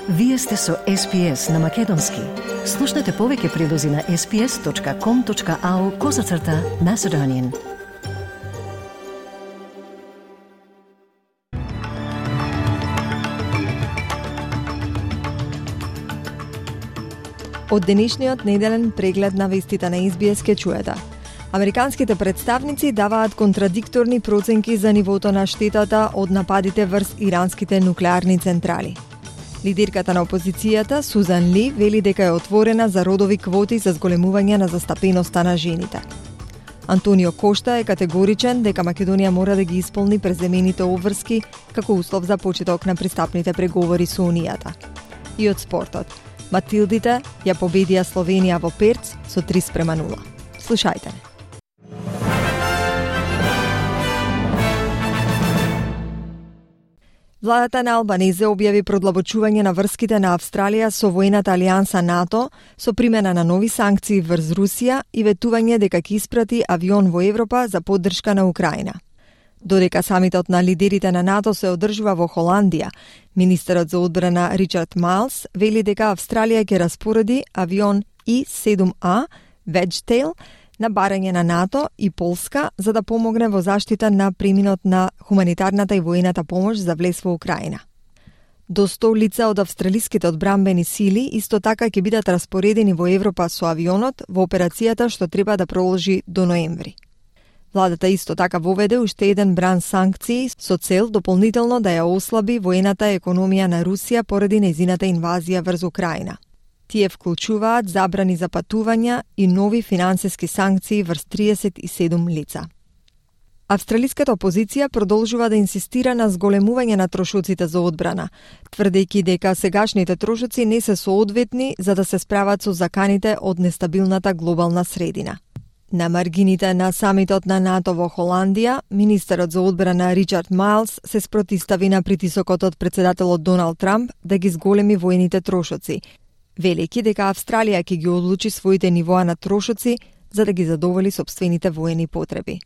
Вие сте со SPS на Македонски. Слушнете повеќе прилози на sps.com.au/Macedonian. Од денешниот неделен преглед на вестите на SBS ке чуете. Американските представници даваат контрадикторни проценки за нивото на штетата од нападите врз иранските нуклеарни централи. Лидерката на опозицијата, Сузан Ли, вели дека е отворена за родови квоти за зголемување на застапеноста на жените. Антонио Кошта е категоричен дека Македонија мора да ги исполни преземените обврски како услов за почеток на пристапните преговори со Унијата. И од спортот. Матилдите ја победија Словенија во Перц со 3:0. Слушајте не. Владата на Албанезе објави продлабочување на врските на Австралија со воената алијанса НАТО со примена на нови санкции врз Русија и ветување дека ќе испрати авион во Европа за поддршка на Украина. Додека самитот на лидерите на НАТО се одржува во Холандија, министерот за одбрана Ричард Майлс вели дека Австралија ќе распореди авион И-7А Wedgetail на барање на НАТО и Полска за да помогне во заштита на преминот на хуманитарната и воената помош за влез во Украина. До 100 лица од австралиските одбранбени сили исто така ќе бидат распоредени во Европа со авионот во операцијата што треба да продолжи до ноември. Владата исто така воведе уште еден бран санкции со цел дополнително да ја ослаби воената економија на Русија поради нејзината инвазија врз Украина. Тие вклучуваат забрани за патувања и нови финансиски санкции врз 37 лица. Австралиската опозиција продолжува да инсистира на зголемување на трошоците за одбрана, тврдејќи дека сегашните трошоци не се соодветни за да се справат со заканите од нестабилната глобална средина. На маргините на самитот на НАТО во Холандија, министерот за одбрана Ричард Майлс се спротистави на притисокот од председателот Доналд Трамп да ги зголеми воените трошоци, велики дека Австралија ќе ги одлучи своите нивоа на трошоци за да ги задоволи сопствените воени потреби.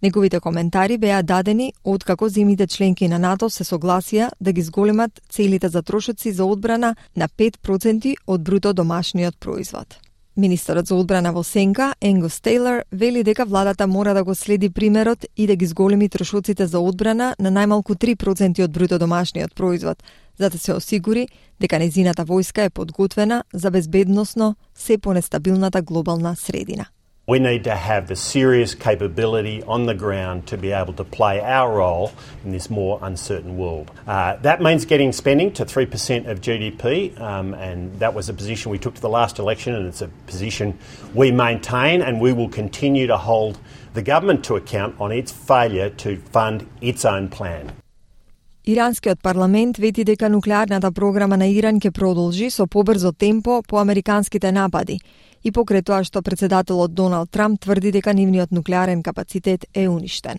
Неговите коментари беа дадени откако земјите членки на НАТО се согласија да ги зголемат целите за трошоци за одбрана на 5% од бруто домашниот производ. Министерот за одбрана во сенка, Енгус Тейлор, вели дека владата мора да го следи примерот и да ги зголеми трошоците за одбрана на најмалку 3% од бруто домашниот производ, за да се осигури дека нејзината војска е подготвена за безбедносно се понестабилната глобална средина. We need to have the serious capability on the ground to be able to play our role in this more uncertain world. That means getting spending to 3% of GDP, and that was a position we took to the last election, and it's a position we maintain, and we will continue to hold the government to account on its failure to fund its own plan. Иранскиот парламент вети дека нуклеарната програма на Иран ќе продолжи со побрзо темпо по американските напади и покрај тоа што председателот Доналд Трамп тврди дека нивниот нуклеарен капацитет е уништен.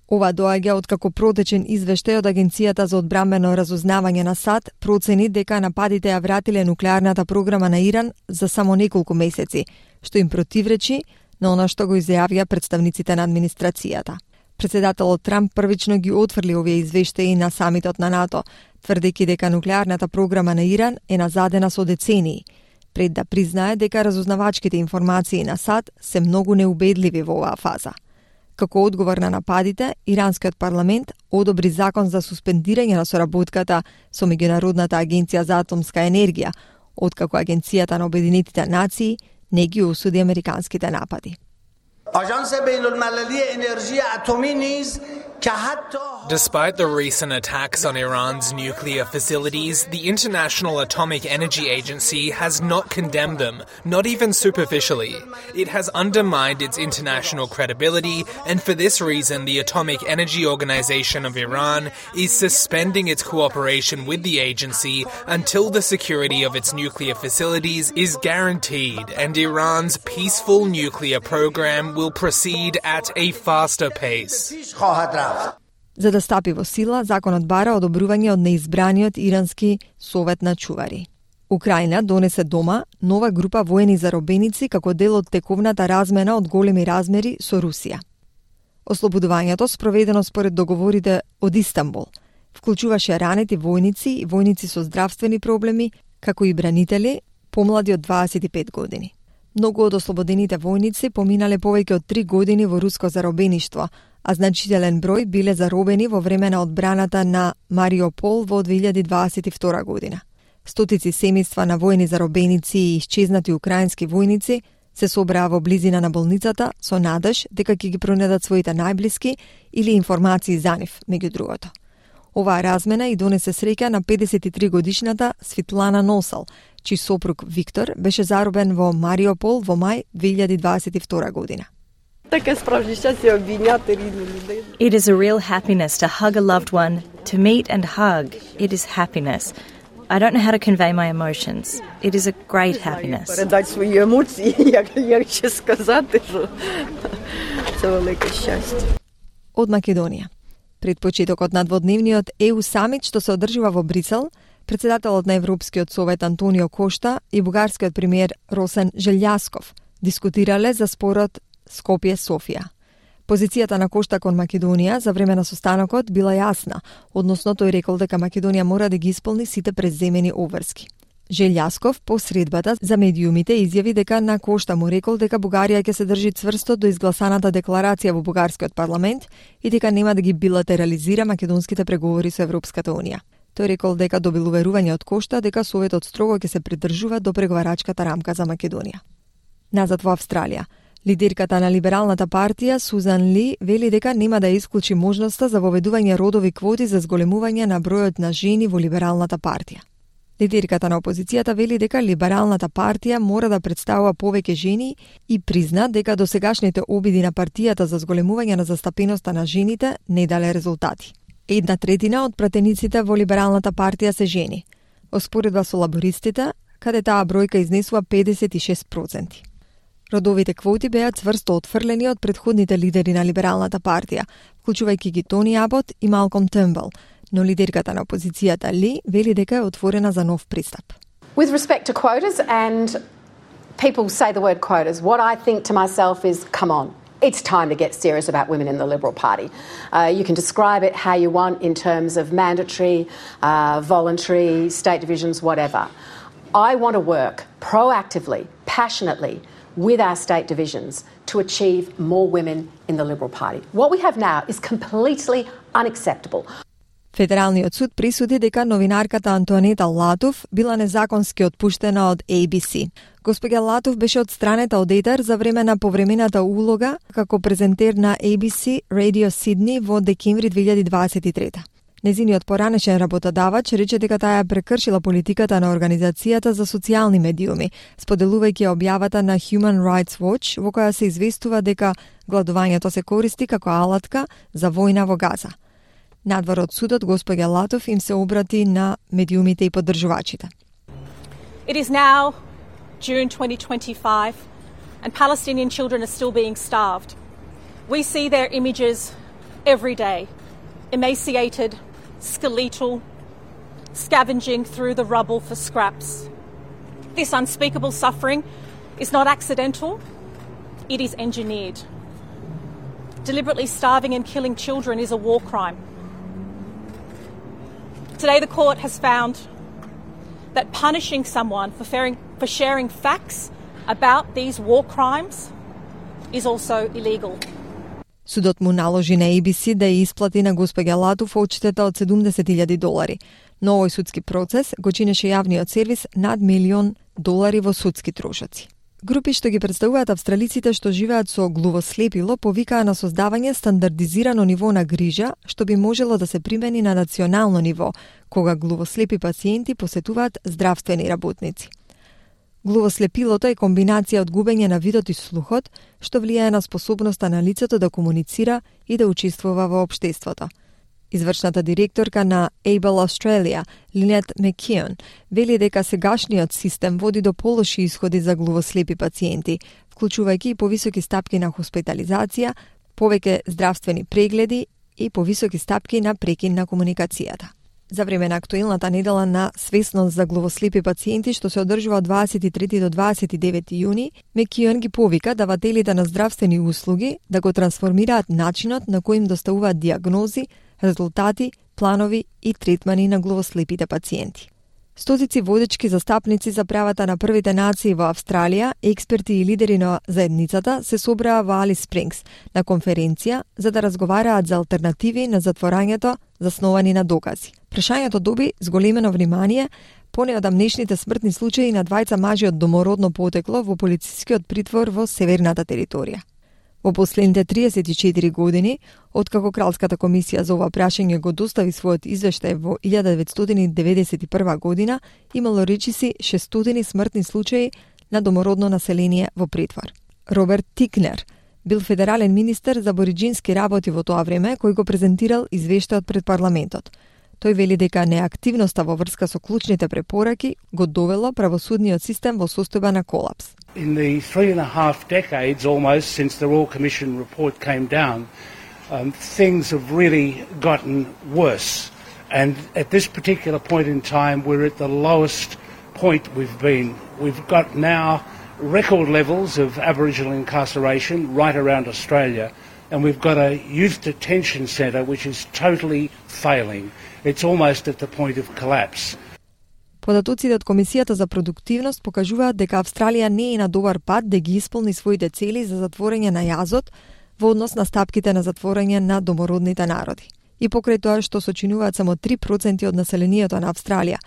Ова доаѓа откако протечен извештај од Агенцијата за одбранбено разузнавање на САД процени дека нападите ја вратиле нуклеарната програма на Иран за само неколку месеци, што им противречи на она што го изјавија представниците на администрацијата. Председателот Трамп првично ги отфрли овие извештаи на самитот на НАТО, тврдејќи дека нуклеарната програма на Иран е назадена со децении, пред да признае дека разузнавачките информации на САД се многу неубедливи во оваа фаза. Како одговор на нападите, иранскиот парламент одобри закон за суспендирање на соработката со Меѓународната агенција за атомска енергија, откако Агенцијата на Обединетите нации не ги осуди американските напади. Despite the recent attacks on Iran's nuclear facilities, the International Atomic Energy Agency has not condemned them, not even superficially. It has undermined its international credibility, and for this reason, the Atomic Energy Organization of Iran is suspending its cooperation with the agency until the security of its nuclear facilities is guaranteed, and Iran's peaceful nuclear program will proceed at a faster pace. За да стапи во сила, законот бара одобрување од неизбраниот ирански совет на чувари. Украина донесе дома нова група воени заробеници како дел од тековната размена од големи размери со Русија. Ослободувањето спроведено според договорите од Истанбул Вклучуваше ранети војници и војници со здравствени проблеми, како и бранители, помлади од 25 години. Многу од ослободените војници поминале повеќе од 3 години во руско заробеништво, а значителен број биле заробени во време на одбраната на Мариупол во 2022 година. Стотици семејства на војни заробеници и исчезнати украински војници се собраа во близина на болницата со надеж дека ќе ги пронедат своите најблиски или информации за нив, меѓу другото. Оваа размена и донесе среќа на 53-годишната Светлана Носал, чиј сопруг Виктор беше заробен во Мариупол во мај 2022 година. It is a real happiness to hug a loved one, to meet and hug. It is happiness. I don't know how to convey my emotions. It is a great happiness. Передать свои емоции, як ќе сказати, што це велике шťасtie. Од Македонија. Пред почетокот на дводневниот ЕУ самит што се одржува во Брисел, председателот на Европскиот совет Антонио Кошта и бугарскиот премиер Росен Желјасков дискутирале за спорот Скопје-Софија. Позицијата на Кошта кон Македонија за време на состанокот била јасна, односно тој рекол дека Македонија мора да ги исполни сите преземени обврски. Желјасков по средбата за медиумите изјави дека на Кошта му рекол дека Бугарија ќе се држи цврсто до изгласаната декларација во бугарскиот парламент и дека нема да ги билатерализира македонските преговори со Европската унија. Тој рекол дека добил уверување од Кошта дека Советот строго ќе се придржува до преговарачката рамка за Македонија. Назад во Австралија. Лидерката на Либералната партија Сузан Ли вели дека нема да исклучи можноста за воведување родови квоти за зголемување на бројот на жени во Либералната партија. Лидерката на опозицијата вели дека Либералната партија мора да представува повеќе жени и призна дека досегашните обиди на партијата за зголемување на застапеноста на жените не дале резултати. 1/3 од пратениците во Либералната партија се жени, оспоредба со лабористите, каде таа бројка изнесува 56%. Родовите квоти беа цврсто отфрлени од претходните лидери на Либералната партија, вклучувајќи ги Тони Абот и Малком Търнбул, но лидерката на опозицијата Ли вели дека е отворена за нов пристап. With respect to quotas, and people say the word quotas, what I think to myself is, come on, it's time to get serious about women in the Liberal Party. You can describe it how you want in terms of mandatory, voluntary, state divisions, whatever. I want to work proactively, passionately with our state divisions to achieve more women in the Liberal Party. What we have now is completely unacceptable. Федералниот суд присуди дека новинарката Антоанета Латов била незаконски отпуштена од ABC. Госпоѓа Латов беше отстранета од етер за време на повремената улога како презентер на ABC Radio Sydney во декември 2023. Незиниот поранешен работодавач рече дека таа ја прекршила политиката на Организацијата за социјални медиуми, споделувајќи објавата на Human Rights Watch во која се известува дека гладувањето се користи како алатка за војна во Газа. Надвор од судот, госпоѓа Латов им се обрати на медиумите и поддржувачите. It is now June 2025 and Palestinian children are still being starved. We see their images every day, emaciated, skeletal, scavenging through the rubble for scraps. This unspeakable suffering is not accidental, it is engineered. Deliberately starving and killing children is a war crime. Today the court has found that punishing someone for sharing facts about these war crimes is also illegal. Судот му наложи на ABC да ја исплати на госпоѓа Латов одштета од $70,000, но овој судски процес го чинеше јавниот сервис над $1 милион во судски трошоци. Групи што ги представуваат австралиците што живеат со глувослепило повикаа на создавање стандардизирано ниво на грижа што би можело да се примени на национално ниво, кога глувослепи пациенти посетуваат здравствени работници. Глувослепилото е комбинација од губење на видот и слухот, што влијае на способноста на лицето да комуницира и да учествува во општеството. Извршната директорка на Able Australia, Линет Мекион, вели дека сегашниот систем води до полоши исходи за глувослепи пациенти, вклучувајќи и повисоки стапки на хоспитализација, повеќе здравствени прегледи и повисоки стапки на прекин на комуникацијата. За време на актуелната недела на свесност за глувослепи пациенти што се одржува од 23 до 29 јуни, Мекион ги повика давателите на здравствени услуги да го трансформираат начинот на кој им доставуваат диагнози, резултати, планови и третмани на главослепите пациенти. Стотици водечки застапници за правата на првите нации во Австралија, експерти и лидери на заедницата се собраа во Алис Спрингс на конференција за да разговараат за алтернативи на затворањето засновани на докази. Прашањето доби зголемено внимание поне од амнешните смртни случаи на двајца мажи од домородно потекло во полицискиот притвор во Северната територија. Во последните 34 години, откако Кралската комисија за ова прашање го достави својот извештај во 1991 година, имало речиси 600 смртни случаи на домородно население во притвор. Роберт Тикнер бил федерален министер за абориџински работи во тоа време, кој го презентирал извештајот пред парламентот. Тој вели дека неактивноста во врска со клучните препораки го довело правосудниот систем во состојба на колапс. In the 3.5 decades almost since the Royal Commission report came down, things have really gotten worse. And at this particular point in time, we're at the lowest point we've been. We've got now record levels of Aboriginal incarceration right around Australia, and we've got a youth detention centre which is totally failing. It's almost at the point of collapse. Податоците од Комисијата за продуктивност покажуваат дека Австралија не е на добар пат да ги исполни своите цели за затворање на јазот во однос на стапките на затворање на домородните народи. И покрај тоа што сочинуваат само 3% од населението на Австралија,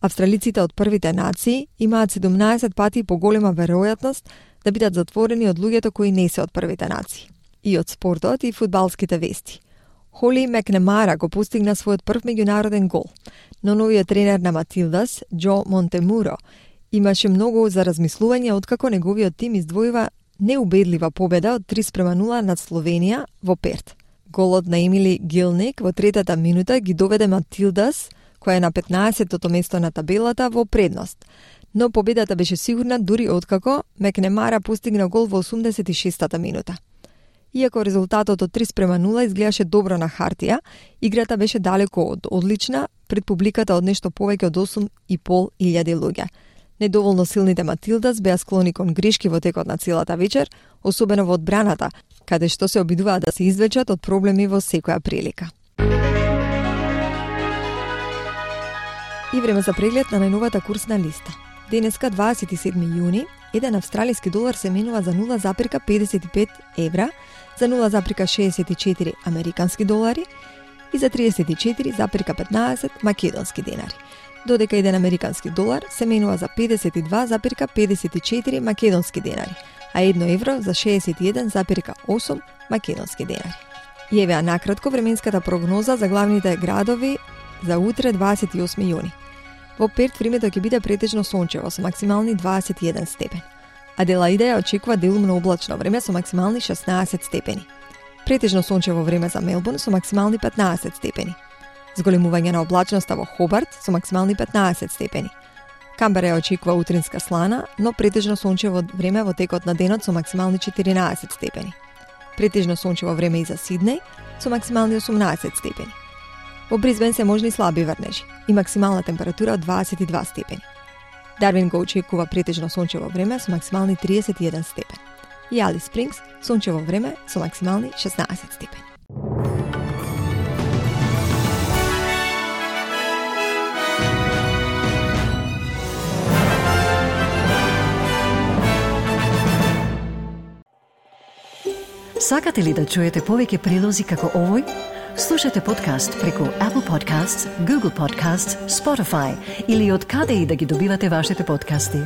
австралиците од првите нации имаат 17 пати поголема веројатност да бидат затворени од луѓето кои не се од првите нации. И од спортот и фудбалските вести. Холи Макнемара го постигна својот прв меѓународен гол, но новиот тренер на Матилдас, Джо Монтемуро, имаше многу за размислување откако неговиот тим издвојува неубедлива победа од 3:0 над Словенија во Перт. Голот на Емили Гилник во третата минута ги доведе Матилдас, која е на 15-тото место на табелата, во предност. Но победата беше сигурна дури откако Макнемара постигна гол во 86-та минута. Иако резултатот од 3:0 изгледаше добро на хартија, играта беше далеко од одлична пред публиката од нешто повеќе од 8.500 луѓе. Недоволно силните Матилдас беа склони кон грешки во текот на целата вечер, особено во одбраната, каде што се обидуваат да се извлечат од проблеми во секоја прилика. И време за преглед на најновата курсна листа. Денеска, 27 јуни, еден австралиски долар се менува за 0,55 евра, за 0,64 американски долари и за 34,15 македонски денари, додека еден американски долар се менува за 52,54 македонски денари, а 1 евро за 61,8 македонски денари. И евеа накратко временската прогноза за главните градови за утре 28 јуни. Во Перт времето ќе биде претежно сончево со максимални 21 степен. Аделаида ја очекува делумно облачно време со максимални 16 степени. Претежно сончево време за Мелбурн со максимални 15 степени. Зголемување на облачноста во Хобарт со максимални 15 степени. Камбера ја очекува утринска слана, но претежно сончево време во текот на денот со максимални 14 степени. Претежно сончево време и за Сиднеј со максимални 18 степени. Во Бризбен се можни слаби врнежи и максимална температура од 22 степени. Дарвин го очекува претежно сончево време со максимални 31 степен. И Алис Спрингс сончево време со максимални 16 степени. Сакате ли да чуете повеќе прилози како овој? Слушате подкаст преку Apple Podcasts, Google Podcasts, Spotify или од каде и да ги добивате вашите подкасти.